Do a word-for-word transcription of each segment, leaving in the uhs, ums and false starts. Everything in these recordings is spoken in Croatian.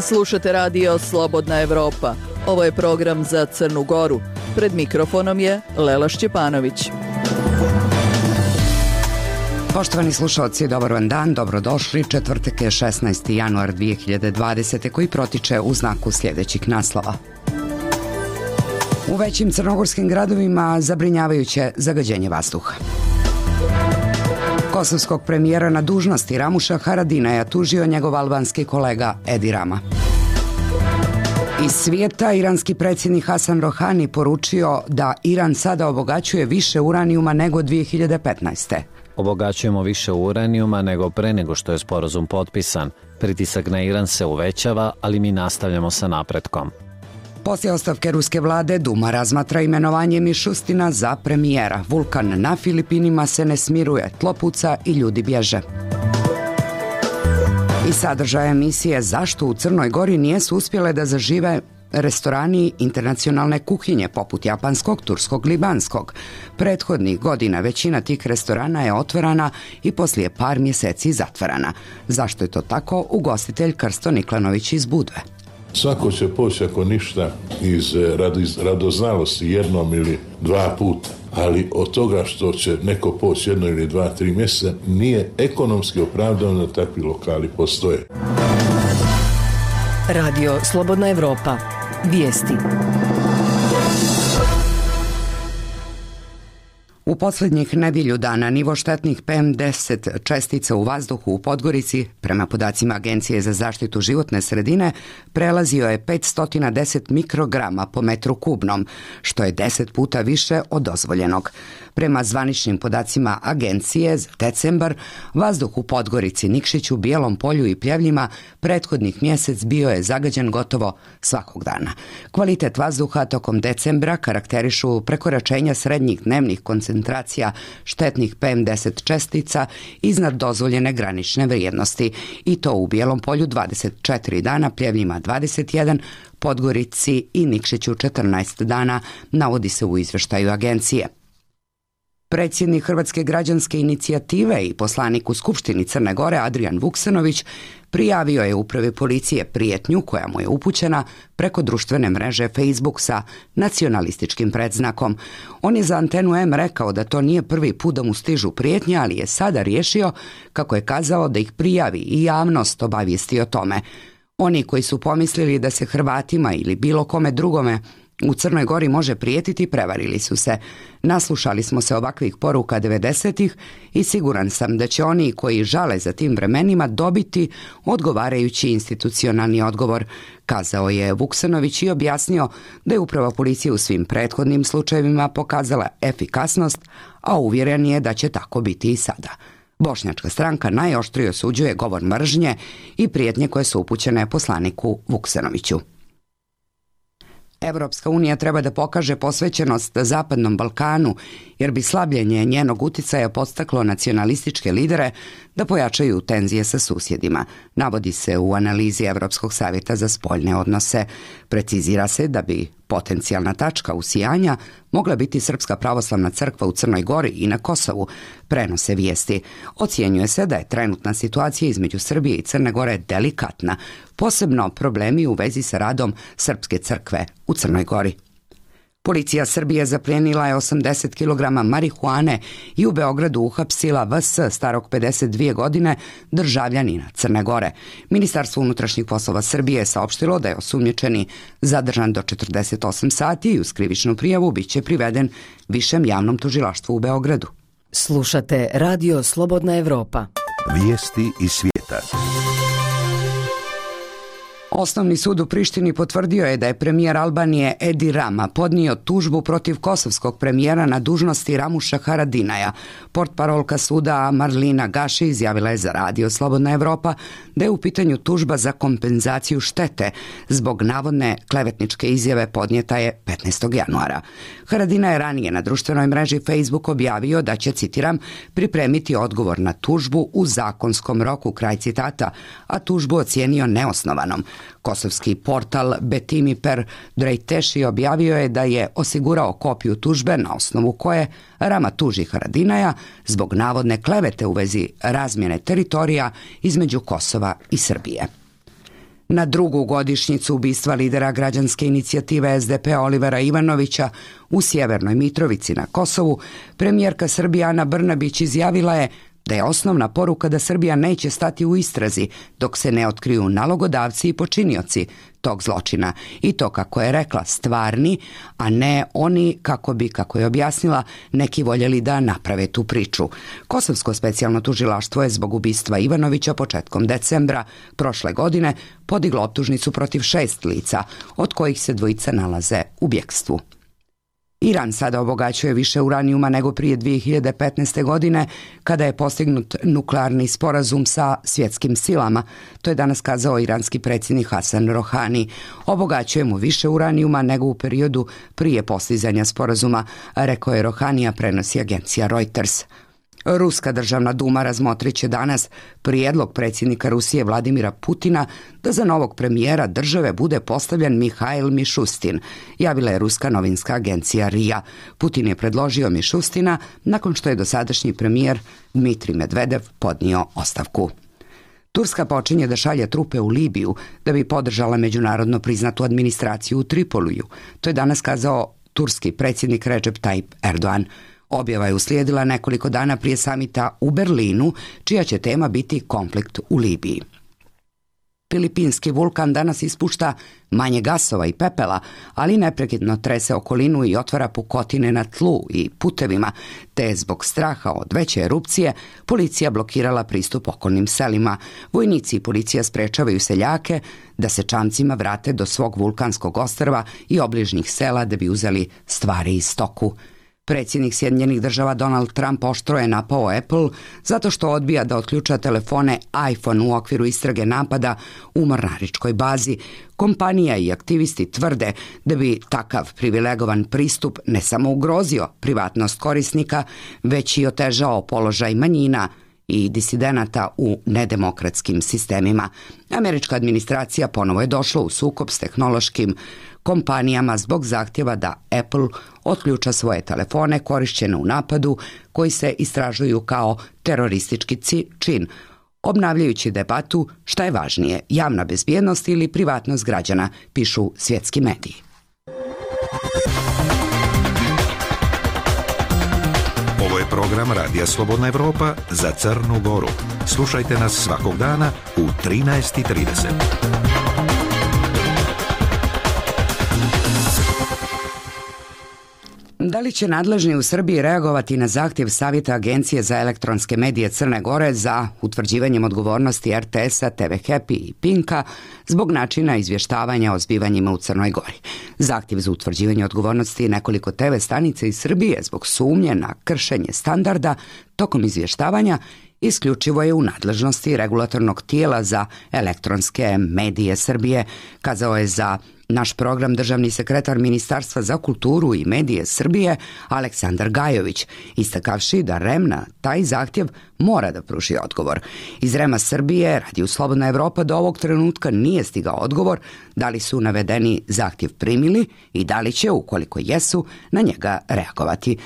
Slušate radio Slobodna Evropa. Ovo je program za Crnu Goru. Pred mikrofonom je Lela Šćepanović. Poštovani slušalci, dobar vam dan, dobrodošli. Četvrtak je šesnaesti januar dvije hiljade dvadesete koji protiče u znaku sljedećih naslova. U većim crnogorskim gradovima zabrinjavajuće zagađenje vazduha. Kosovskog premijera na dužnosti Ramuša Haradinaja tužio njegov albanski kolega Edi Rama. Iz svijeta iranski predsjednik Hasan Rohani poručio da Iran sada obogaćuje više uranijuma nego dvije hiljade petnaeste. Obogaćujemo više uranijuma nego pre nego što je sporazum potpisan. Pritisak na Iran se uvećava, ali mi nastavljamo sa napretkom. Poslije ostavke ruske vlade, Duma razmatra imenovanje Mišustina za premijera. Vulkan na Filipinima se ne smiruje, tlo puca i ljudi bježe. I sadržaj emisije Zašto u Crnoj Gori nijesu uspjele da zažive restorani internacionalne kuhinje poput japanskog, turskog, libanskog. Prethodnih godina većina tih restorana je otvorana i poslije par mjeseci zatvarana. Zašto je to tako? Ugostitelj Krsto Niklanović iz Budve. Svako će poći ako ništa iz radoznalosti jednom ili dva puta, ali od toga što će neko poći jedno ili dva, tri mjeseca nije ekonomski opravdano da takvi lokali postoje. Radio Slobodna Evropa. Vijesti. U posljednjih nedjelju dana nivo štetnih P M deset čestica u vazduhu u Podgorici, prema podacima Agencije za zaštitu životne sredine, prelazio je petsto deset mikrograma po metru kubnom, što je deset puta više od dozvoljenog. Prema zvaničnim podacima Agencije za decembar, vazduh u Podgorici, Nikšiću, Bijelom Polju i Pljevljima prethodnih mjesec bio je zagađen gotovo svakog dana. Kvalitet vazduha tokom decembra karakterišu prekoračenja srednjih dnevnih koncentracija štetnih P M deset čestica iznad dozvoljene granične vrijednosti, i to u Bijelom Polju dvadeset četiri dana, Pljevljima dvadeset jedan, Podgorici i Nikšiću četrnaest dana, navodi se u izvještaju agencije. Predsjednik Hrvatske građanske inicijative i poslanik u Skupštini Crne Gore Adrijan Vuksanović prijavio je upravi policije prijetnju koja mu je upućena preko društvene mreže Facebook sa nacionalističkim predznakom. On je za Antenu M rekao da to nije prvi put da mu stižu prijetnje, ali je sada riješio, kako je kazao, da ih prijavi i javnost obavijesti o tome. Oni koji su pomislili da se Hrvatima ili bilo kome drugome u Crnoj Gori može prijetiti, prevarili su se. Naslušali smo se ovakvih poruka devedesetih i siguran sam da će oni koji žale za tim vremenima dobiti odgovarajući institucionalni odgovor, kazao je Vuksanović i objasnio da je uprava policije u svim prethodnim slučajevima pokazala efikasnost, a uvjeren je da će tako biti i sada. Bošnjačka stranka najoštrije osuđuje govor mržnje i prijetnje koje su upućene poslaniku Vuksanoviću. Evropska unija treba da pokaže posvećenost Zapadnom Balkanu, jer bi slabljenje njenog uticaja podstaklo nacionalističke lidere da pojačaju tenzije sa susjedima, navodi se u analizi Evropskog savjeta za spoljne odnose. Precizira se da bi potencijalna tačka usijanja mogla biti Srpska pravoslavna crkva u Crnoj Gori i na Kosovu, prenose vijesti. Ocjenjuje se da je trenutna situacija između Srbije i Crne Gore delikatna, posebno problemi u vezi sa radom Srpske crkve u Crnoj Gori. Policija Srbije zaplijenila je osamdeset kilograma marihuane i u Beogradu uhapsila V S starog pedeset dvije godine, državljanina Crne Gore. Ministarstvo unutrašnjih poslova Srbije je saopštilo da je osumnjičeni zadržan do četrdeset osam sati i uz krivičnu prijavu biće priveden Višem javnom tužilaštvu u Beogradu. Slušate Radio Slobodna Evropa. Vijesti iz svijeta. Osnovni sud u Prištini potvrdio je da je premijer Albanije Edi Rama podnio tužbu protiv kosovskog premijera na dužnosti Ramuša Haradinaja. Portparolka suda Marlina Gaši izjavila je za Radio Slobodna Evropa da je u pitanju tužba za kompenzaciju štete zbog navodne klevetničke izjave podnijeta je petnaestog januara. Haradinaj je ranije na društvenoj mreži Facebook objavio da će, citiram, pripremiti odgovor na tužbu u zakonskom roku, kraj citata, a tužbu ocijenio neosnovanom. Kosovski portal Betimiper Drejteši objavio je da je osigurao kopiju tužbe na osnovu koje Rama tuži Haradinaja zbog navodne klevete u vezi razmjene teritorija između Kosova i Srbije. Na drugu godišnjicu ubistva lidera građanske inicijative es de pe Olivera Ivanovića u Sjevernoj Mitrovici na Kosovu, premijerka Srbije Ana Brnabić izjavila je da je osnovna poruka da Srbija neće stati u istrazi dok se ne otkriju nalogodavci i počinioci tog zločina. I to, kako je rekla, stvarni, a ne oni, kako bi, kako je objasnila, neki voljeli da naprave tu priču. Kosovsko specijalno tužilaštvo je zbog ubistva Ivanovića početkom decembra prošle godine podiglo optužnicu protiv šest lica, od kojih se dvojica nalaze u bjekstvu. Iran sada obogaćuje više uranijuma nego prije dvije hiljade petnaeste. godine, kada je postignut nuklearni sporazum sa svjetskim silama. To je danas kazao iranski predsjednik Hasan Rohani. Obogaćujemo više uranijuma nego u periodu prije postizanja sporazuma, rekao je Rohani, a prenosi agencija Reuters. Ruska državna duma razmotrit će danas prijedlog predsjednika Rusije Vladimira Putina da za novog premijera države bude postavljen Mihail Mišustin, javila je ruska novinska agencija er i a. Putin je predložio Mišustina nakon što je dosadašnji premijer Dmitrij Medvedev podnio ostavku. Turska počinje da šalje trupe u Libiju da bi podržala međunarodno priznatu administraciju u Tripoliju. To je danas kazao turski predsjednik Recep Tayyip Erdogan. Objava je uslijedila nekoliko dana prije samita u Berlinu, čija će tema biti konflikt u Libiji. Filipinski vulkan danas ispušta manje gasova i pepela, ali neprekidno trese okolinu i otvara pukotine na tlu i putevima, te je zbog straha od veće erupcije policija blokirala pristup okolnim selima. Vojnici i policija sprečavaju seljake da se čamcima vrate do svog vulkanskog ostrva i obližnjih sela da bi uzeli stvari i stoku. Predsjednik Sjedinjenih država Donald Trump oštro je napao Apple zato što odbija da otključa telefone iPhone u okviru istrage napada u mornaričkoj bazi. Kompanija i aktivisti tvrde da bi takav privilegovan pristup ne samo ugrozio privatnost korisnika, već i otežao položaj manjina i disidenata u nedemokratskim sistemima. Američka administracija ponovo je došla u sukob s tehnološkim kompanijama zbog zahtjeva da Apple otključa svoje telefone korišćene u napadu koji se istražuju kao teroristički čin, obnavljajući debatu šta je važnije, javna bezbjednost ili privatnost građana, pišu svjetski mediji. Ovo je program Radija Slobodna Evropa za Crnu Goru. Slušajte nas svakog dana u trinaest i trideset. Da li će nadležni u Srbiji reagovati na zahtjev Savjeta Agencije za elektronske medije Crne Gore za utvrđivanjem odgovornosti er te esa, te ve Happy i Pinka zbog načina izvještavanja o zbivanjima u Crnoj Gori? Zahtjev za utvrđivanje odgovornosti nekoliko te ve stanica iz Srbije zbog sumnje na kršenje standarda tokom izvještavanja isključivo je u nadležnosti regulatornog tijela za elektronske medije Srbije, kazao je za naš program državni sekretar Ministarstva za kulturu i medije Srbije Aleksandar Gajović, istakavši da REM na taj zahtjev mora da pruži odgovor. Iz REM-a Srbije, Radiju Slobodna Evropa, do ovog trenutka nije stigao odgovor da li su navedeni zahtjev primili i da li će, ukoliko jesu, na njega reagovati.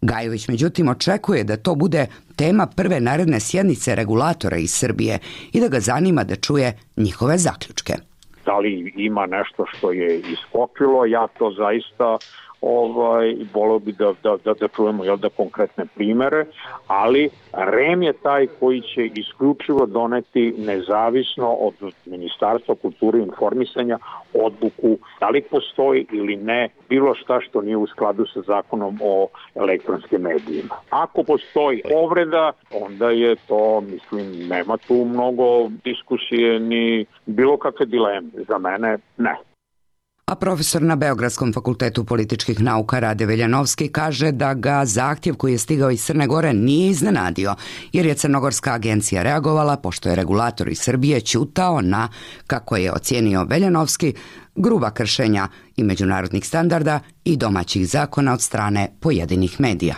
Gajović, međutim, očekuje da to bude tema prve naredne sjednice regulatora iz Srbije i da ga zanima da čuje njihove zaključke. Da li ima nešto što je iskopilo, ja to zaista ovaj, volio bi da, da, da, da čujemo jel, da konkretne primere, ali REM je taj koji će isključivo doneti nezavisno od Ministarstva kulture i informisanja odluku da li postoji ili ne bilo šta što nije u skladu sa zakonom o elektronskim medijima. Ako postoji povreda, onda je to, mislim, nema tu mnogo diskusije ni bilo kakve dileme. Za mene ne. A profesor na Beogradskom fakultetu političkih nauka Rade Veljanovski kaže da ga zahtjev koji je stigao iz Crne Gore nije iznenadio, jer je Crnogorska agencija reagovala pošto je regulator iz Srbije ćutao na, kako je ocijenio Veljanovski, gruba kršenja i međunarodnih standarda i domaćih zakona od strane pojedinih medija.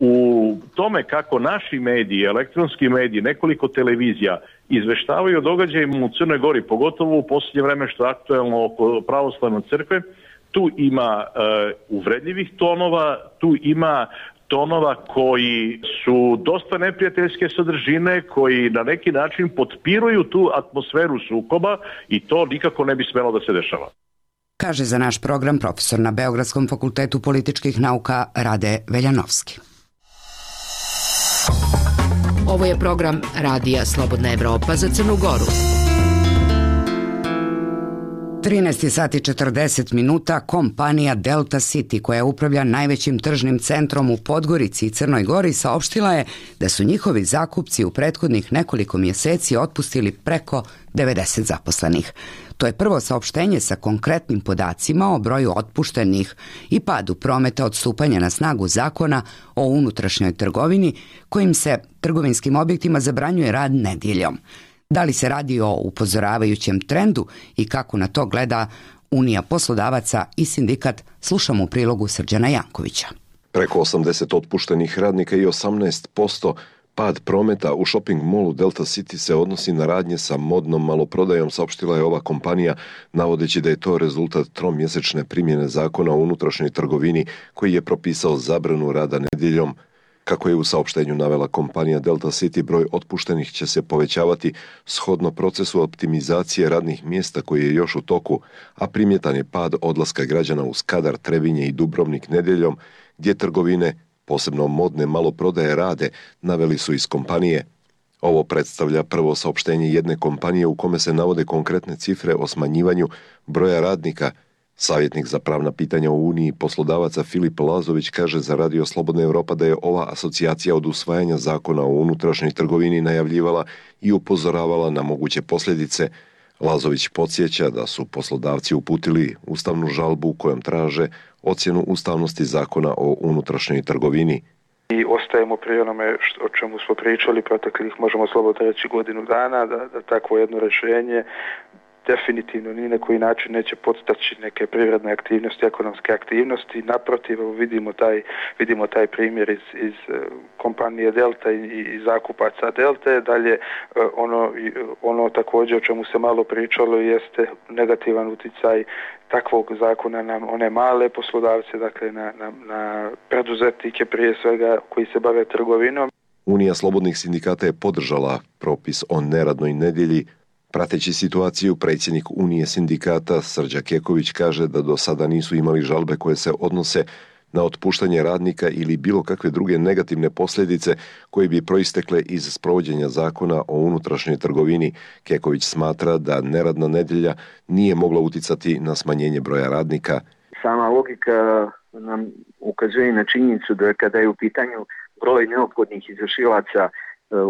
U tome kako naši mediji, elektronski mediji, nekoliko televizija izveštavaju o događajima u Crnoj Gori, pogotovo u posljednje vreme što je aktuelno oko pravoslavne crkve, tu ima e, uvredljivih tonova, tu ima tonova koji su dosta neprijateljske sadržine, koji na neki način potpiruju tu atmosferu sukoba i to nikako ne bi smelo da se dešava. Kaže za naš program profesor na Beogradskom fakultetu političkih nauka Rade Veljanovski. Ovo je program Radija Slobodna Evropa za Crnu Goru. trinaest sati i četrdeset minuta kompanija Delta City, koja upravlja najvećim tržnim centrom u Podgorici i Crnoj Gori, saopštila je da su njihovi zakupci u prethodnih nekoliko mjeseci otpustili preko devedeset zaposlenih. To je prvo saopštenje sa konkretnim podacima o broju otpuštenih i padu prometa od stupanja na snagu zakona o unutrašnjoj trgovini, kojim se trgovinskim objektima zabranjuje rad nedjeljom. Da li se radi o upozoravajućem trendu i kako na to gleda Unija poslodavaca i sindikat, slušamo u prilogu Srđana Jankovića. Preko osamdeset otpuštenih radnika i osamnaest posto pad prometa u shopping mallu Delta City se odnosi na radnje sa modnom maloprodajom, saopštila je ova kompanija, navodeći da je to rezultat tromjesečne primjene zakona o unutrašnjoj trgovini koji je propisao zabranu rada nedjeljom. Kako je u saopštenju navela kompanija Delta City, broj otpuštenih će se povećavati shodno procesu optimizacije radnih mjesta koji je još u toku, a primjetan je pad odlaska građana u Skadar, Trebinje i Dubrovnik nedjeljom, gdje trgovine, posebno modne maloprodaje, rade, naveli su iz kompanije. Ovo predstavlja prvo saopštenje jedne kompanije u kome se navode konkretne cifre o smanjivanju broja radnika. Savjetnik za pravna pitanja u Uniji poslodavaca Filip Lazović kaže za Radio Slobodna Evropa da je ova asocijacija od usvajanja zakona o unutrašnjoj trgovini najavljivala i upozoravala na moguće posljedice. Lazović podsjeća da su poslodavci uputili ustavnu žalbu kojom traže ocjenu ustavnosti zakona o unutrašnjoj trgovini. I ostajemo pri onome što, o čemu smo pričali proteklih, možemo slobodno reći, godinu dana, da, da takvo jedno rješenje definitivno ni na koji način neće podstaći neke privredne aktivnosti, ekonomske aktivnosti. Naprotiv, vidimo taj, vidimo taj primjer iz, iz kompanije Delta i, i zakupaca Delte. Dalje, ono, ono također o čemu se malo pričalo jeste negativan utjecaj takvog zakona na one male poslodavce, dakle na, na, na preduzetnike prije svega koji se bave trgovinom. Unija slobodnih sindikata je podržala propis o neradnoj nedjelji. Prateći situaciju, predsjednik Unije sindikata Srđa Keković kaže da do sada nisu imali žalbe koje se odnose na otpuštanje radnika ili bilo kakve druge negativne posljedice koje bi proistekle iz sprovođenja zakona o unutrašnjoj trgovini. Keković smatra da neradna nedjelja nije mogla uticati na smanjenje broja radnika. Sama logika nam ukazuje na činjenicu da kada je u pitanju broj neophodnih izvršilaca,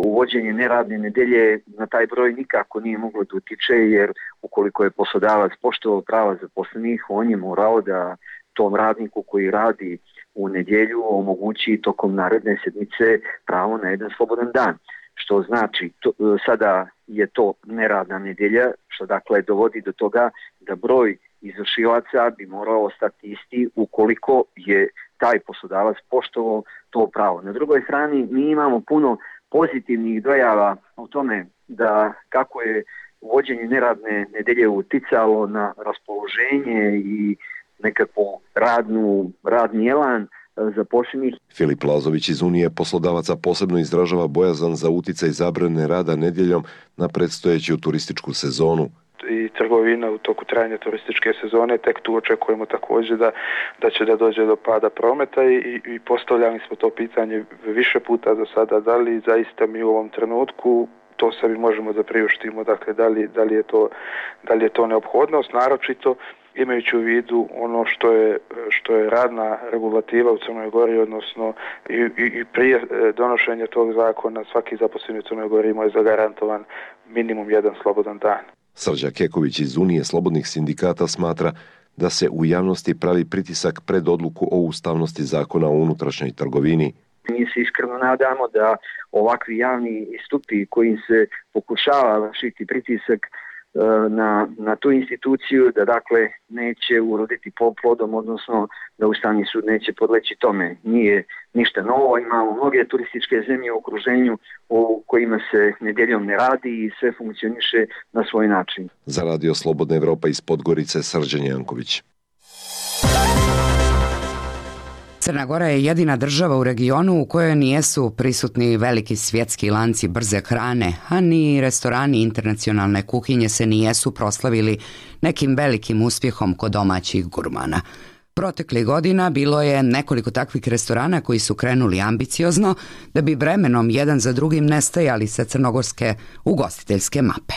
uvođenje neradne nedjelje na taj broj nikako nije moglo da utiče, jer ukoliko je poslodavac poštovao prava zaposlenih, on je morao da tom radniku koji radi u nedjelju omogući tokom naredne sedmice pravo na jedan slobodan dan. Što znači, to, sada je to neradna nedjelja, što dakle dovodi do toga da broj izvršilaca bi morao ostati isti ukoliko je taj poslodavac poštovao to pravo. Na drugoj strani mi imamo puno pozitivnih dojava o tome da kako je uvođenje neradne nedjelje uticalo na raspoloženje i nekakvu radnu, radni elan zaposlenih. Filip Lazović iz Unije poslodavaca posebno izražava bojazan za uticaj zabrane rada nedjeljom na predstojeću turističku sezonu. I trgovina u toku trajanja turističke sezone, tek tu očekujemo također da, da će da dođe do pada prometa i, i postavljali smo to pitanje više puta do sada, da li zaista mi u ovom trenutku to sebi možemo da priuštimo, dakle da li, da li, je, to, da li je to neophodnost, naročito imajući u vidu ono što je, što je radna regulativa u Crnoj Gori, odnosno i, i, i prije donošenja tog zakona svaki zaposleni u Crnoj Gori ima je zagarantovan minimum jedan slobodan dan. Srđa Keković iz Unije slobodnih sindikata smatra da se u javnosti pravi pritisak pred odluku o ustavnosti zakona o unutrašnjoj trgovini. Mi se iskreno nadamo da ovakvi javni istupi kojim se pokušava vršiti pritisak na, na tu instituciju da dakle neće uroditi plodom, odnosno da Ustavni sud neće podleći tome. Nije ništa novo, imamo mnoge turističke zemlje u okruženju u kojima se nedjeljom ne radi i sve funkcioniše na svoj način. Za Radio Slobodna Evropa iz Podgorice, Srđan Janković. Crna Gora je jedina država u regionu u kojoj nijesu prisutni veliki svjetski lanci brze hrane, a ni restorani internacionalne kuhinje se nijesu proslavili nekim velikim uspjehom kod domaćih gurmana. Proteklih godina bilo je nekoliko takvih restorana koji su krenuli ambiciozno da bi vremenom jedan za drugim nestajali sa crnogorske ugostiteljske mape.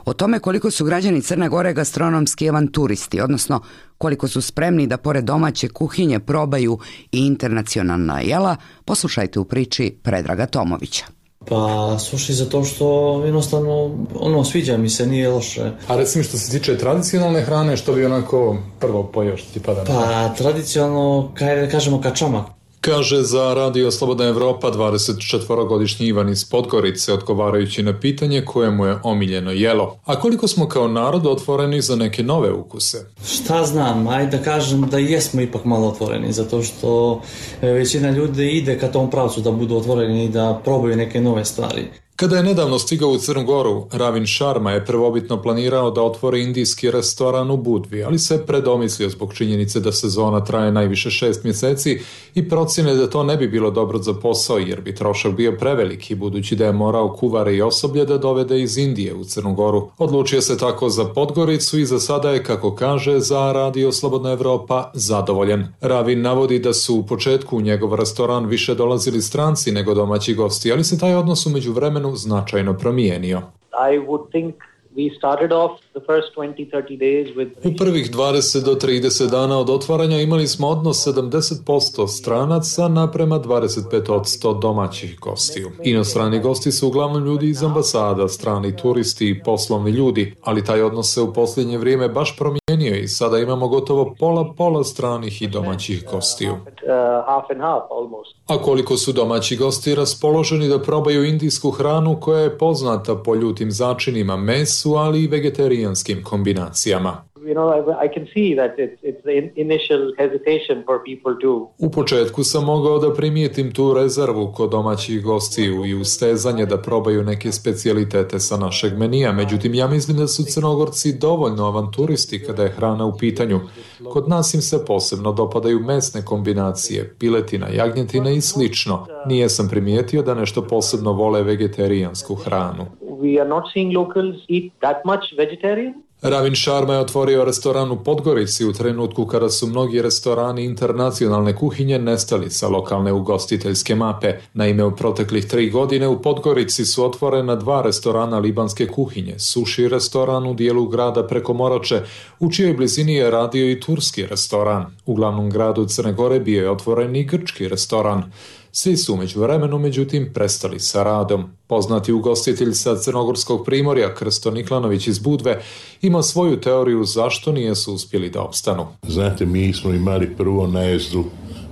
O tome koliko su građani Crne Gore gastronomski avanturisti, odnosno koliko su spremni da pored domaće kuhinje probaju i internacionalna jela, poslušajte u priči Predraga Tomovića. Pa, slušaj, zato što jednostavno, ono, sviđa mi se, nije loše. A recimo što se tiče tradicionalne hrane, što bi onako prvo pojeo što ti pada na pamet? Pa, tradicionalno, kaj, kažemo kačamak. Kaže za Radio Slobodna Evropa dvadesetčetvorogodišnji Ivan iz Podgorice, odgovarajući na pitanje koje mu je omiljeno jelo. A koliko smo kao narod otvoreni za neke nove ukuse? Šta znam, ajde da kažem da jesmo ipak malo otvoreni, zato što većina ljudi ide ka tom pravcu da budu otvoreni i da probaju neke nove stvari. Kada je nedavno stigao u Crnu Goru, Ravin Sharma je prvobitno planirao da otvori indijski restoran u Budvi, ali se predomislio zbog činjenice da sezona traje najviše šest mjeseci i procjene da to ne bi bilo dobro za posao jer bi trošak bio preveliki, budući da je morao kuvare i osoblje da dovede iz Indije u Crnu Goru. Odlučio se tako za Podgoricu i za sada je, kako kaže za Radio Slobodna Evropa, zadovoljan. Ravin navodi da su u početku u njegov restoran više dolazili stranci nego domaći gosti, ali se taj odnos u međuvremenu značajno promijenio. I would think we started off the first twenty to thirty days with... U prvih dvadeset do trideset dana od otvaranja imali smo odnos sedamdeset posto stranaca naprema dvadeset pet posto domaćih gostiju. Inostrani gosti su uglavnom ljudi iz ambasada, strani turisti i poslovni ljudi, ali taj odnos se u posljednje vrijeme baš promijenio i sada imamo gotovo pola-pola stranih i domaćih gostiju. A koliko su domaći gosti raspoloženi da probaju indijsku hranu koja je poznata po ljutim začinima, mesu, ali i vegetarijanskim kombinacijama. You know, I, I can see that it's, it's the initial hesitation for people to... U početku sam mogao da primijetim tu rezervu kod domaćih gostiju i ustezanje da probaju neke specijalitete sa našeg menija, međutim ja mislim da su Crnogorci dovoljno avanturisti kada je hrana u pitanju. Kod nas im se posebno dopadaju mesne kombinacije, piletina, jagnjetina i slično. Nije sam primijetio da nešto posebno vole vegetarijansku hranu. We are not seeing locals eat that much vegetarian. Ravin Sharma je otvorio restoran u Podgorici u trenutku kada su mnogi restorani internacionalne kuhinje nestali sa lokalne ugostiteljske mape. Naime, u proteklih tri godine u Podgorici su otvorena dva restorana libanske kuhinje, sushi restoran u dijelu grada preko Morače, u čijoj blizini je radio i turski restoran. U glavnom gradu Crne Gore bio je otvoren i grčki restoran. Svi su umeđu vremenu, međutim, prestali sa radom. Poznati ugostitelj sa Crnogorskog primorja, Krsto Niklanović iz Budve, ima svoju teoriju zašto nijesu uspjeli da opstanu. Znate, mi smo imali prvo najezdu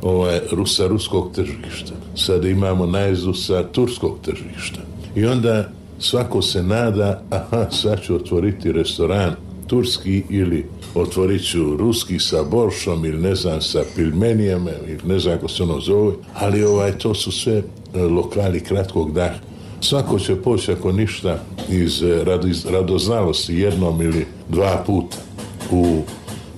ovaj, sa ruskog tržišta. Sada imamo najezdu sa turskog tržišta. I onda svako se nada, aha, sad ću otvoriti restoran turski ili otvorit ću ruski sa boršom ili ne znam sa pilmenijama ili ne znam kako se ono zove, ali ovaj, to su sve lokali kratkog daha. Svako će poći ako ništa iz radoznalosti jednom ili dva puta u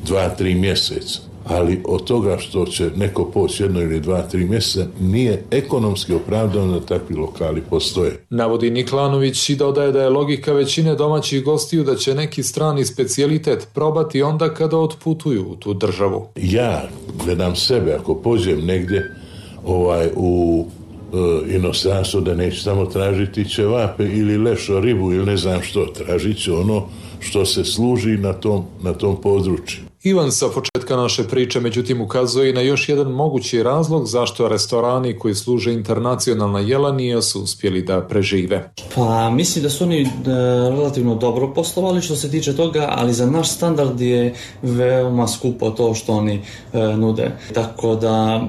dva, tri mjeseca. Ali od toga što će neko poći jedno ili dva, tri mjeseca nije ekonomski opravdano da takvi lokali postoje. Navodi Niklanović i dodaje da je logika većine domaćih gostiju da će neki strani specijalitet probati onda kada otputuju u tu državu. Ja gledam sebe, ako pođem negdje ovaj, u e, inostranstvo, da neću tamo tražiti ćevape ili lešo ribu ili ne znam što, tražit ću ono što se služi na tom, na tom području. Ivan sa početka naše priče međutim ukazuje i na još jedan mogući razlog zašto restorani koji služe internacionalna jela nisu uspjeli da prežive. Pa mislim da su oni e, relativno dobro poslovali što se tiče toga, ali za naš standard je veoma skupo to što oni e, nude. Tako da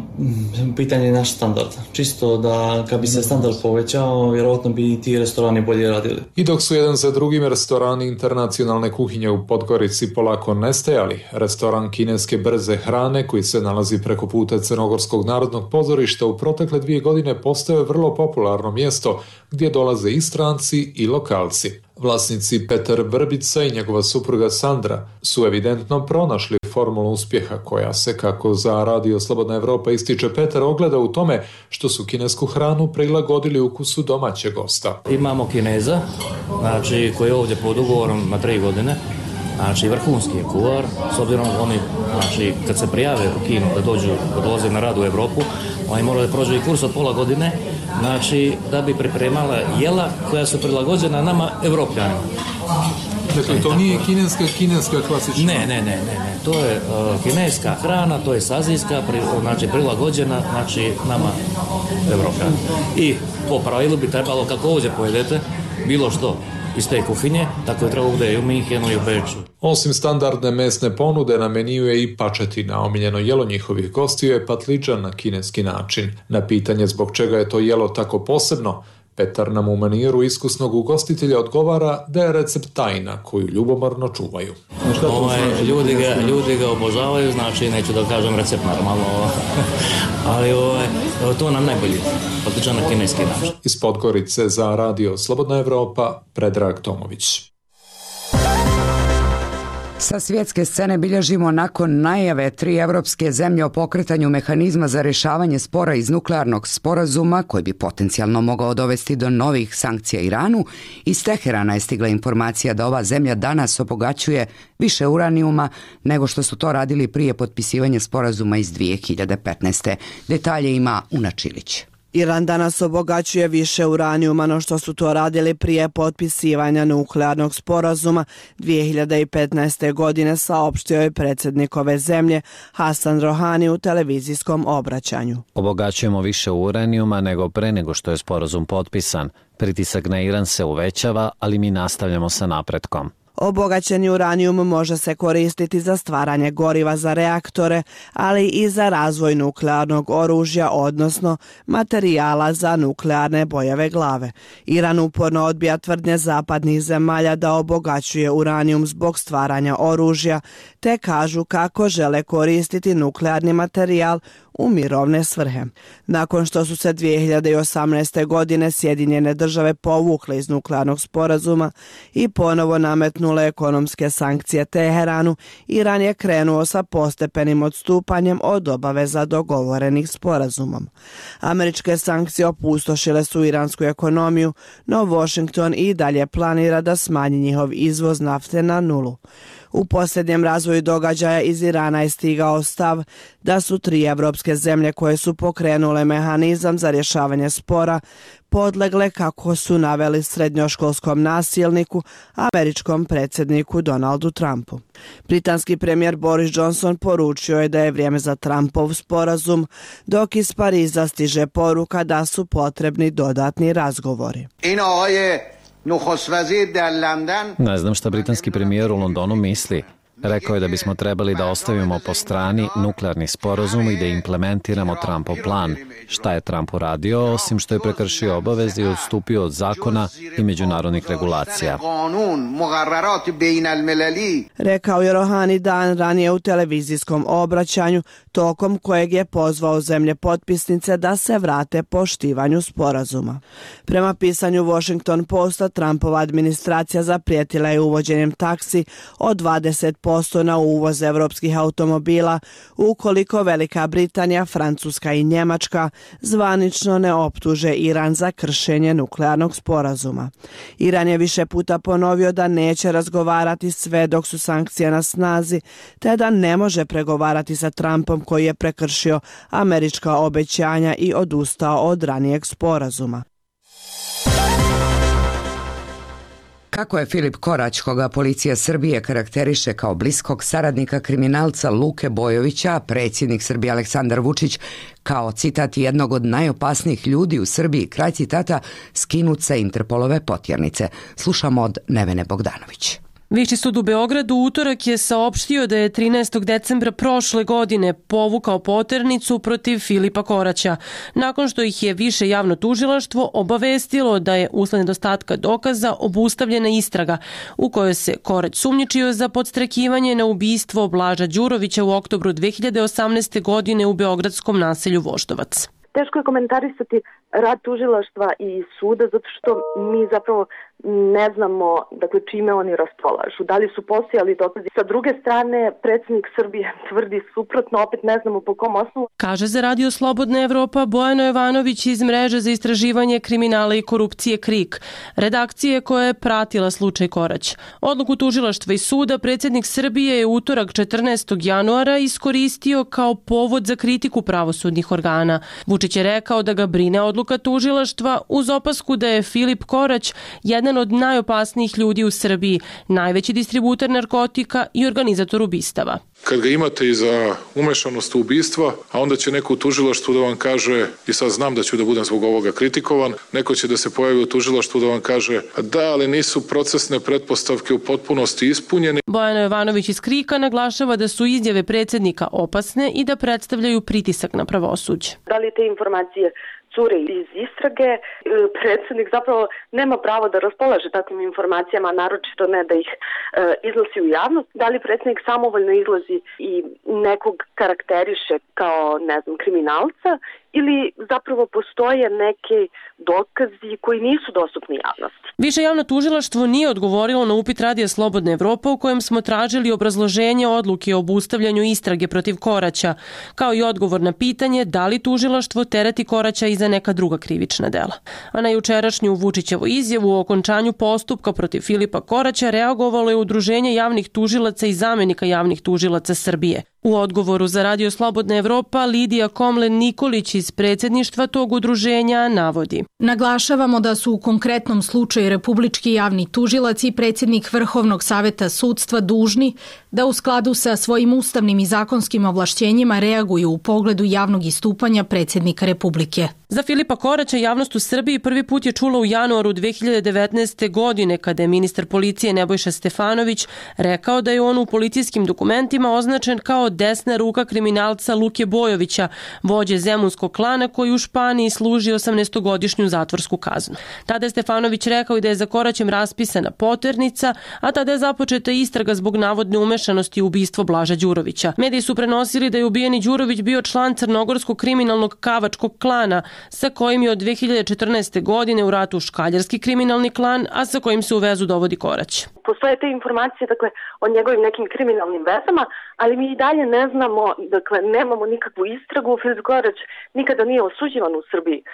pitanje je naš standard. Čisto da kad bi se standard povećao, vjerojatno bi ti restorani bolje radili. I dok su jedan za drugim restorani internacionalne kuhinje u Podgorici polako nestajali, restoran kineske brze hrane koji se nalazi preko puta Crnogorskog narodnog pozorišta u protekle dvije godine postao je vrlo popularno mjesto gdje dolaze i stranci i lokalci. Vlasnici Petar Vrbica i njegova supruga Sandra su evidentno pronašli formulu uspjeha koja se, kako za Radio Slobodna Evropa ističe Petar, ogleda u tome što su kinesku hranu prilagodili ukusu domaćeg gosta. Imamo Kineza, znači, koji je ovdje pod ugovorom na tri godine. Znači, vrhunski je kuvar, s obzirom oni, znači, kad se prijave u Kinu da dođu, da dolaze na rad u Evropu, oni moraju da prođu i kurs od pola godine, znači, da bi pripremala jela koja su prilagođena nama, Evropljanima. Dakle, to nije kineska, kineska klasična? Ne, ne, ne, ne, ne. To je uh, kineska hrana, to je azijska, pri, znači, prilagođena, znači, nama, Evropljanima. I po pravilu bi trebalo, kako ovdje pojedete, bilo što iz te kuhinje, tako je treba ovdje i u Minhenu i u Beču. Osim standardne mesne ponude, na meniju je i pačetina. Omiljeno jelo njihovih gostiju je patliđan na kineski način. Na pitanje zbog čega je to jelo tako posebno, Petar nam u maniru iskusnog ugostitelja odgovara da je recept tajna koju ljubomorno čuvaju. Ovaj, ljudi, ga, ljudi ga obožavaju, znači neću da kažem recept normalno, ali ovaj, to nam najbolji, patliđan na kineski način. Iz Podgorice za Radio Slobodna Evropa, Predrag Tomović. Sa svjetske scene bilježimo nakon najave tri evropske zemlje o pokretanju mehanizma za rješavanje spora iz nuklearnog sporazuma, koji bi potencijalno mogao dovesti do novih sankcija Iranu. Iz Teherana je stigla informacija da ova zemlja danas obogaćuje više uranijuma nego što su to radili prije potpisivanja sporazuma iz dvije hiljade petnaeste. Detalje ima Una Čilić. Iran danas obogaćuje više uranijuma no što su to radili prije potpisivanja nuklearnog sporazuma dvije hiljade petnaeste. godine, saopštio je predsjednik ove zemlje Hasan Rohani u televizijskom obraćanju. Obogaćujemo više uranijuma nego pre nego što je sporazum potpisan. Pritisak na Iran se uvećava, ali mi nastavljamo sa napretkom. Obogaćeni uranijum može se koristiti za stvaranje goriva za reaktore, ali i za razvoj nuklearnog oružja, odnosno materijala za nuklearne bojeve glave. Iran uporno odbija tvrdnje zapadnih zemalja da obogaćuje uranijum zbog stvaranja oružja, te kažu kako žele koristiti nuklearni materijal u mirovne svrhe. Nakon što su se dvije hiljade osamnaeste. godine Sjedinjene države povukle iz nuklearnog sporazuma i ponovo nametnule ekonomske sankcije Teheranu, Iran je krenuo sa postepenim odstupanjem od obaveza dogovorenih sporazumom. Američke sankcije opustošile su iransku ekonomiju, no Washington i dalje planira da smanji njihov izvoz nafte na nulu. U posljednjem razvoju događaja iz Irana je stigao stav da su tri evropske zemlje koje su pokrenule mehanizam za rješavanje spora podlegle, kako su naveli, srednjoškolskom nasilniku, američkom predsjedniku Donaldu Trumpu. Britanski premijer Boris Johnson poručio je da je vrijeme za Trumpov sporazum, dok iz Pariza stiže poruka da su potrebni dodatni razgovori. Ne znam šta britanski premijer u Londonu misli. Rekao je da bismo trebali da ostavimo po strani nuklearni sporazum i da implementiramo Trumpov plan. Šta je Trump uradio, osim što je prekršio obaveze i odstupio od zakona i međunarodnih regulacija? Rekao je Rohani dan ranije u televizijskom obraćanju, tokom kojeg je pozvao zemlje potpisnice da se vrate poštivanju sporazuma. Prema pisanju Washington Posta, Trumpova administracija zaprijetila je uvođenjem taksi od dvadeset posto na uvoz evropskih automobila ukoliko Velika Britanija, Francuska i Njemačka zvanično ne optuže Iran za kršenje nuklearnog sporazuma. Iran je više puta ponovio da neće razgovarati sve dok su sankcije na snazi, te da ne može pregovarati sa Trumpom koji je prekršio američka obećanja i odustao od ranijeg sporazuma. Kako je Filip Korać, koga policija Srbije karakteriše kao bliskog saradnika kriminalca Luke Bojovića, predsjednik Srbije Aleksandar Vučić kao, citat, jednog od najopasnijih ljudi u Srbiji, kraj citata, skinut sa Interpolove potjernice. Slušamo od Nevene Bogdanović. Viši sud u Beogradu u utorak je saopštio da je trinaestog decembra prošle godine povukao poternicu protiv Filipa Koraća, nakon što ih je više javno tužilaštvo obavestilo da je usled nedostatka dokaza obustavljena istraga u kojoj se Korać sumnjičio za podstrekivanje na ubistvo Blaža Đurovića u oktobru dve hiljade osamnaeste. godine u beogradskom naselju Voždovac. Teško je komentarisati rad tužilaštva i suda zato što mi zapravo ne znamo, dakle, čime oni raspolažu. Da li su postojali dokazi? Sa druge strane, predsjednik Srbije tvrdi suprotno, opet ne znamo po kom osnovu. Kaže za Radio Slobodna Evropa Bojano Jovanović iz mreže za istraživanje kriminala i korupcije KRIK, redakcije koja je pratila slučaj Korać. Odluku tužilaštva i suda predsjednik Srbije je utorak četrnaestog januara iskoristio kao povod za kritiku pravosudnih organa. Vučić je rekao da ga brine odluka tužilaštva uz opasku da je Filip Korać jedan od najopasnijih ljudi u Srbiji, najveći distributer narkotika i organizator ubistava. Kad ga imate i za umešanost u ubistva, a onda će neko u tužilaštvu da vam kaže, i sad znam da ću da budem zbog ovoga kritikovan, neko će da se pojavi u tužilaštvu da vam kaže da, ali nisu procesne pretpostavke u potpunosti ispunjene. Bojano Jovanović iz KRIK-a naglašava da su izjave predsjednika opasne i da predstavljaju pritisak na pravosuđe. Da li te informacije cure iz istrage, predsjednik zapravo nema pravo da raspolaže takvim informacijama, naročito ne da ih e, iznosi u javnost. Da li predsjednik samovoljno izlazi i nekog karakteriše kao, ne znam, kriminalca, ili zapravo postoje neke dokazi koji nisu dostupni javnosti. Više javno tužilaštvo nije odgovorilo na upit Radija Slobodna Evropa u kojem smo tražili obrazloženje odluke o obustavljanju istrage protiv Koraća, kao i odgovor na pitanje da li tužilaštvo tereti Koraća i za neka druga krivična dela. A na jučerašnju Vučićevu izjavu o okončanju postupka protiv Filipa Koraća reagovalo je Udruženje javnih tužilaca i zamenika javnih tužilaca Srbije. U odgovoru za Radio Slobodna Evropa Lidija Komlen Nikolić iz predsjedništva tog udruženja navodi: Naglašavamo da su u konkretnom slučaju Republički javni tužilac i predsjednik Vrhovnog saveta sudstva dužni da u skladu sa svojim ustavnim i zakonskim ovlašćenjima reaguju u pogledu javnog istupanja predsjednika Republike. Za Filipa Koraća javnost u Srbiji prvi put je čula u januaru dve hiljade devetnaeste. godine kada je ministar policije Nebojša Stefanović rekao da je on u policijskim dokumentima označen kao desna ruka kriminalca Luke Bojovića, vođe zemunskog klana koji u Španiji služi osamnaestogodišnju zatvorsku kaznu. Tada je Stefanović rekao i da je za Koraćem raspisana poternica, a tada je započeta istraga zbog navodne umešanosti u ubistvo Blaža Đurovića. Mediji su prenosili da je ubijeni Đurović bio član crnogorskog kriminalnog kavačkog klana, sa kojim je od dve hiljade četrnaeste. godine u ratu škaljarski kriminalni klan, a sa kojim se u vezu dovodi Korać. Postoje te informacije, dakle, o njegovim nekim kriminalnim vezama, ali mi i dalje ne znamo, dakle, nemamo nikakvu istragu. Filip Korać nikada nije osuđivan u Srbiji e,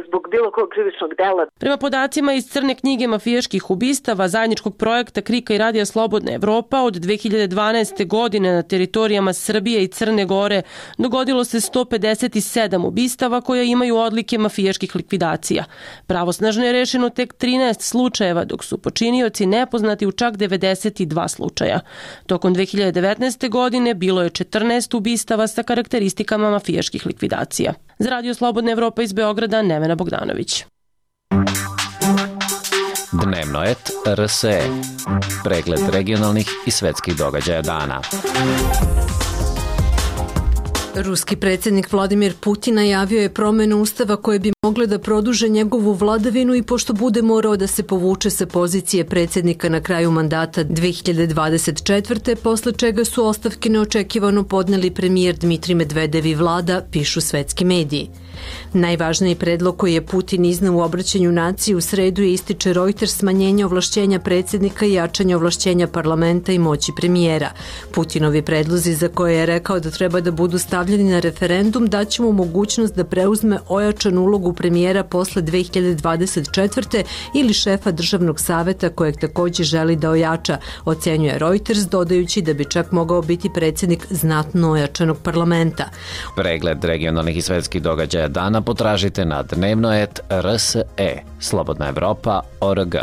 zbog bilo kog krivičnog dela. Prema podacima iz crne knjige mafijaških ubistava zajedničkog projekta KRIK-a i Radija Slobodna Evropa od dve hiljade dvanaeste. godine na teritorijama Srbije i Crne Gore dogodilo se sto pedeset sedam ubistava koja imaju odlike mafijaških likvidacija. Pravosnažno je rešeno tek trinaest slučajeva, dok su počinioci nepoznati u čak devedeset dva slučaja. Tokom dve hiljade devetnaeste. godine bilo je četrnaest ubistava sa karakteristikama mafijaških likvidacija. Za Radio Slobodna Evropa iz Beograda, Nevena Bogdanović. Dnevno et R S E. Pregled regionalnih i svetskih događaja dana. Ruski predsjednik Vladimir Putin najavio je promjenu ustava koje bi mogle da produže njegovu vladavinu i pošto bude morao da se povuče sa pozicije predsjednika na kraju mandata dve hiljade dvadeset četvrte. posle čega su ostavke neočekivano podneli premijer Dmitrij Medvedev i vlada, pišu svetski mediji. Najvažniji predlog koji je Putin izneo u obraćanju naciji u sredu je, ističe Reuters, smanjenje ovlašćenja predsjednika i jačanje ovlašćenja parlamenta i moći premijera. Putinovi predlozi, za koje je rekao da treba da budu stavljeni na referendum, daće mu mogućnost da preuzme ojačanu ulogu premijera posle dve hiljade dvadeset četvrte. ili šefa državnog saveta kojeg također želi da ojača, ocenjuje Reuters, dodajući da bi čak mogao biti predsjednik znatno ojačanog parlamenta. Pregled regionalnih i svetskih događaja dana potražite na dnevno et R S E. Slobodna Evropa, O R G.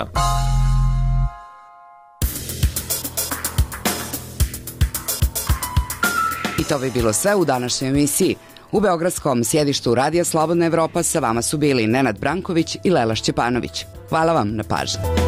to bi bilo sve u današnjoj emisiji. U beogradskom sjedištu Radija Slobodna Evropa sa vama su bili Nenad Branković i Lela Šćepanović. Hvala vam na pažnji.